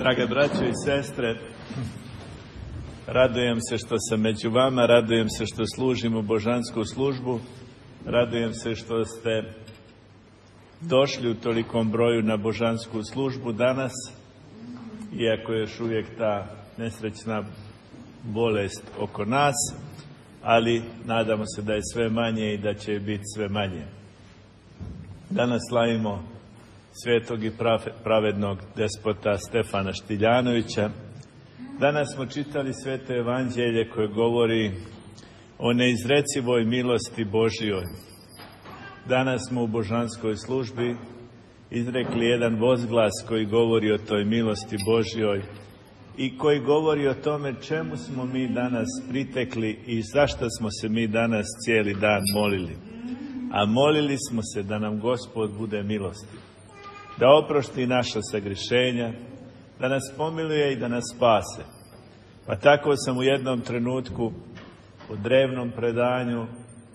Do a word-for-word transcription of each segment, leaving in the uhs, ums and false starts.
Drage braćo i sestre, radujem se što sam među vama, radujem se što služimo božansku službu, radujem se što ste došli u tolikom broju na božansku službu danas, iako je još uvijek ta nesrećna bolest oko nas, ali nadamo se da je sve manje i da će biti sve manje. Danas slavimo svetog i pravednog despota Stefana Štiljanovića. Danas smo čitali sveto evanđelje koje govori o neizrecivoj milosti Božjoj. Danas smo u božanskoj službi izrekli jedan vozglas koji govori o toj milosti Božjoj i koji govori o tome čemu smo mi danas pritekli i zašto smo se mi danas cijeli dan molili. A molili smo se da nam Gospod bude milostiv, da oprosti naša sagrešenja, da nas pomiluje i da nas spase. Pa tako sam u jednom trenutku u drevnom predanju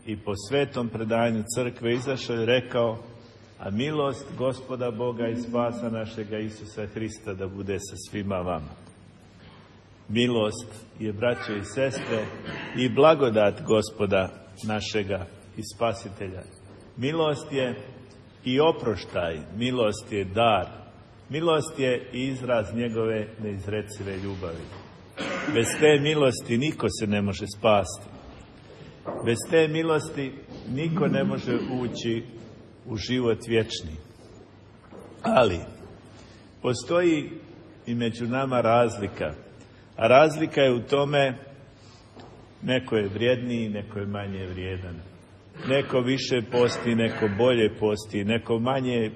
i po svetom predanju crkve izašao i rekao: a milost Gospoda Boga i spasa našega Isusa Hrista da bude sa svima vama. Milost je, braćo i sestre, i blagodat Gospoda našega i Spasitelja. Milost je i oproštaj, milost je dar, milost je izraz njegove neizrecive ljubavi. Bez te milosti niko se ne može spasti. Bez te milosti niko ne može ući u život vječni. Ali postoji i među nama razlika. A razlika je u tome, neko je vrijedniji, neko je manje vrijedan. Neko više posti, neko bolje posti, neko manje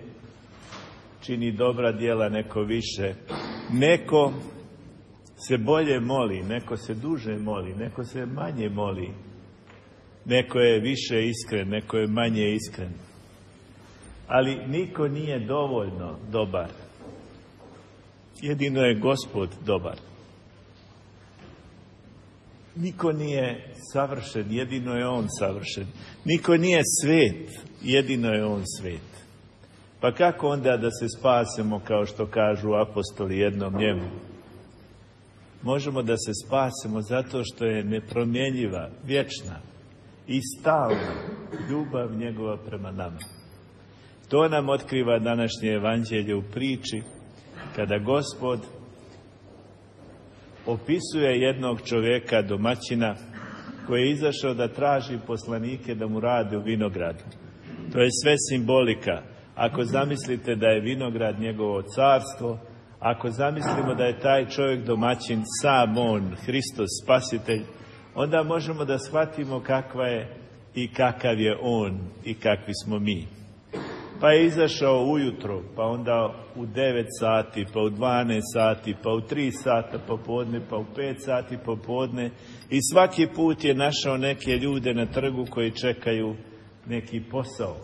čini dobra djela, neko više. Neko se bolje moli, neko se duže moli, neko se manje moli. Neko je više iskren, neko je manje iskren. Ali niko nije dovoljno dobar. Jedino je Gospod dobar. Niko nije savršen, jedino je On savršen. Niko nije svet, jedino je On svet. Pa kako onda da se spasemo, kao što kažu apostoli jednom njemu? Možemo da se spasemo zato što je nepromjenjiva, vječna i stalna ljubav njegova prema nama. To nam otkriva današnje evanđelje u priči kada Gospod opisuje jednog čovjeka, domaćina, koji je izašao da traži poslanike da mu rade u vinogradu. To je sve simbolika. Ako zamislite da je vinograd njegovo carstvo, ako zamislimo da je taj čovjek domaćin sam on, Hristos Spasitelj, onda možemo da shvatimo kakva je i kakav je on i kakvi smo mi. Pa je izašao ujutro, pa onda u devet sati, pa u dvanaest sati, pa u tri sata popodne, pa u pet sati popodne i svaki put je našao neke ljude na trgu koji čekaju neki posao.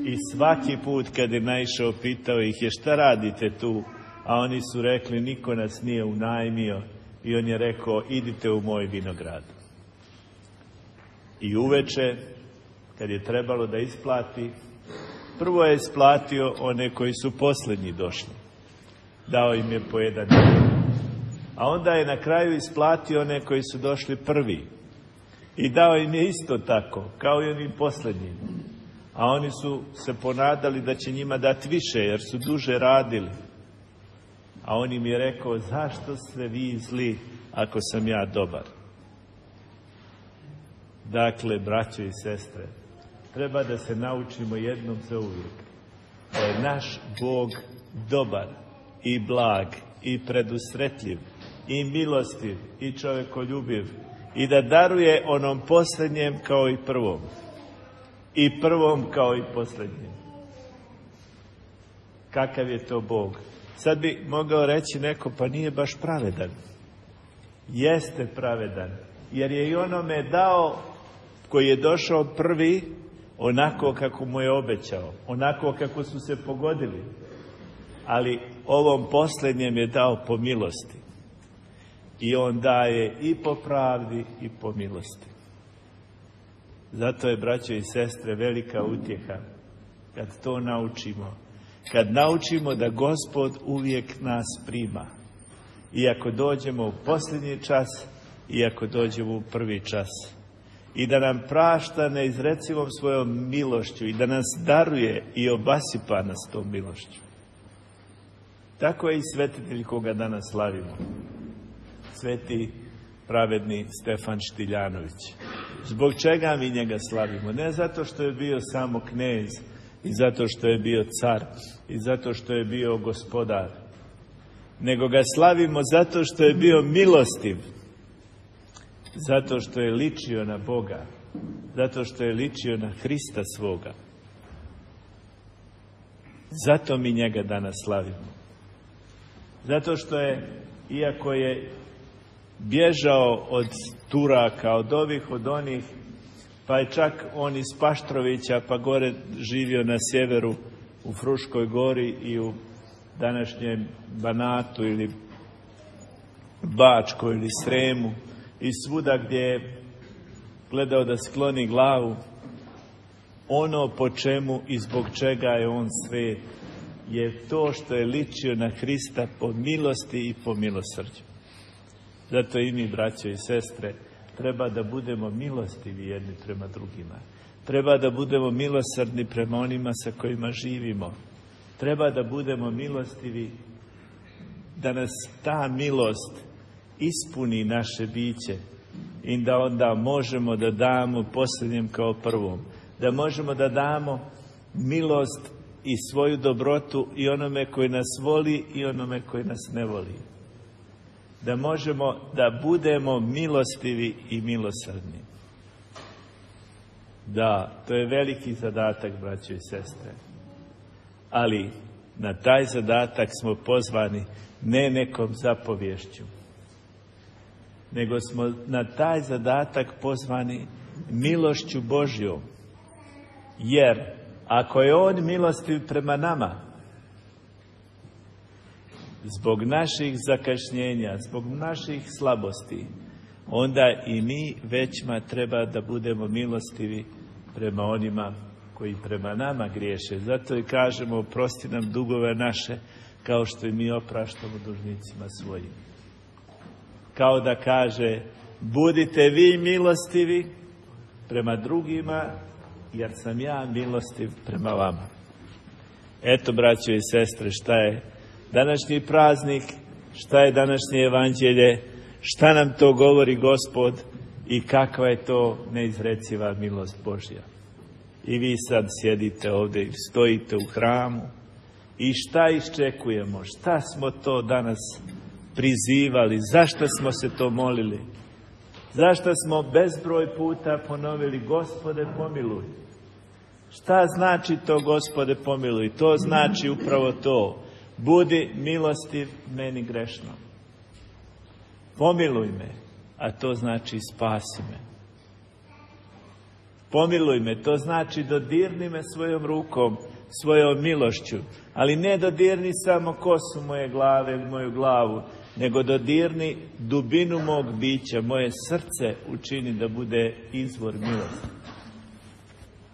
I svaki put kad je naišao, pitao ih je: šta radite tu? A oni su rekli: niko nas nije unajmio. I on je rekao: idite u moj vinograd. I uveče, kad je trebalo da isplati, prvo je isplatio one koji su posljednji došli. Dao im je po jedan dinar. A onda je na kraju isplatio one koji su došli prvi. I dao im je isto tako, kao i onim posljednjim. A oni su se ponadali da će njima dati više, jer su duže radili. A on im je rekao: zašto ste vi zli ako sam ja dobar? Dakle, braćo i sestre, treba da se naučimo jednom za uvijek da je naš Bog dobar i blag i predusretljiv i milostiv i čovjekoljubiv i da daruje onom posljednjem kao i prvom i prvom kao i posljednjem. Kakav je to Bog? Sad bi mogao reći neko: pa nije baš pravedan. Jeste pravedan, jer je i onome dao koji je došao prvi onako kako mu je obećao, onako kako su se pogodili. Ali ovom posljednjem je dao po milosti. I on daje i po pravdi i po milosti. Zato je, braćo i sestre, velika utjeha kad to naučimo kad naučimo da Gospod uvijek nas prima. Iako dođemo u posljednji čas, iako dođemo u prvi čas. I da nam prašta neizrecivom svojom milošću i da nas daruje i obasipa nas tom milošću. Tako je i svetitelj koga danas slavimo. Sveti pravedni Stefan Štiljanović. Zbog čega mi njega slavimo? Ne zato što je bio samo knez i zato što je bio car i zato što je bio gospodar, nego ga slavimo zato što je bio milostiv, zato što je ličio na Boga, zato što je ličio na Hrista svoga. Zato mi njega danas slavimo. Zato što je, iako je bježao od Turaka, od ovih, od onih, pa je čak on iz Paštrovića, pa gore živio na sjeveru u Fruškoj gori i u današnjem Banatu ili Bačkoj ili Sremu i svuda gdje je gledao da skloni glavu, ono po čemu i zbog čega je on svet je to što je ličio na Hrista po milosti i po milosrđu. Zato i mi, braćo i sestre, treba da budemo milostivi jedni prema drugima. Treba da budemo milosrdni prema onima sa kojima živimo. Treba da budemo milostivi, da nas ta milost ispuni naše biće i da onda možemo da damo posljednjem kao prvom. Da možemo da damo milost i svoju dobrotu i onome koji nas voli i onome koji nas ne voli. Da možemo da budemo milostivi i milosrdni. Da, to je veliki zadatak, braćo i sestre. Ali na taj zadatak smo pozvani ne nekom zapovješću, nego smo na taj zadatak pozvani milošću Božjom. Jer ako je On milostiv prema nama, zbog naših zakašnjenja, zbog naših slabosti, onda i mi većma treba da budemo milostivi prema onima koji prema nama griješe. Zato i kažemo, oprosti nam dugove naše, kao što i mi opraštamo dužnicima svojim. Kao da kaže, budite vi milostivi prema drugima, jer sam ja milostiv prema vama. Eto, braćo i sestre, šta je današnji praznik, šta je današnje evanđelje, šta nam to govori Gospod i kakva je to neizreciva milost Božja. I vi sad sjedite ovdje i stojite u hramu i šta iščekujemo, šta smo to danas prizivali, zašto smo se to molili, zašto smo bezbroj puta ponovili Gospode pomiluj. Šta znači to Gospode pomiluj? To znači upravo to. Budi milostiv meni grešnom. Pomiluj me, a to znači spasi me. Pomiluj me, to znači dodirni me svojom rukom, svojom milošću. Ali ne dodirni samo kosu moje glave ili moju glavu, nego dodirni dubinu mog bića, moje srce učini da bude izvor milosti.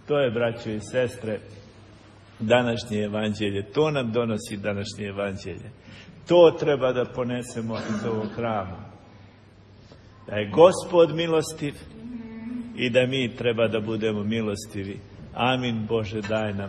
To je, braćo i sestre, današnje evanđelje. To nam donosi današnje evanđelje. To treba da ponesemo iz ovog hrama. Da je Gospod milostiv i da mi treba da budemo milostivi. Amin. Bože, daj nam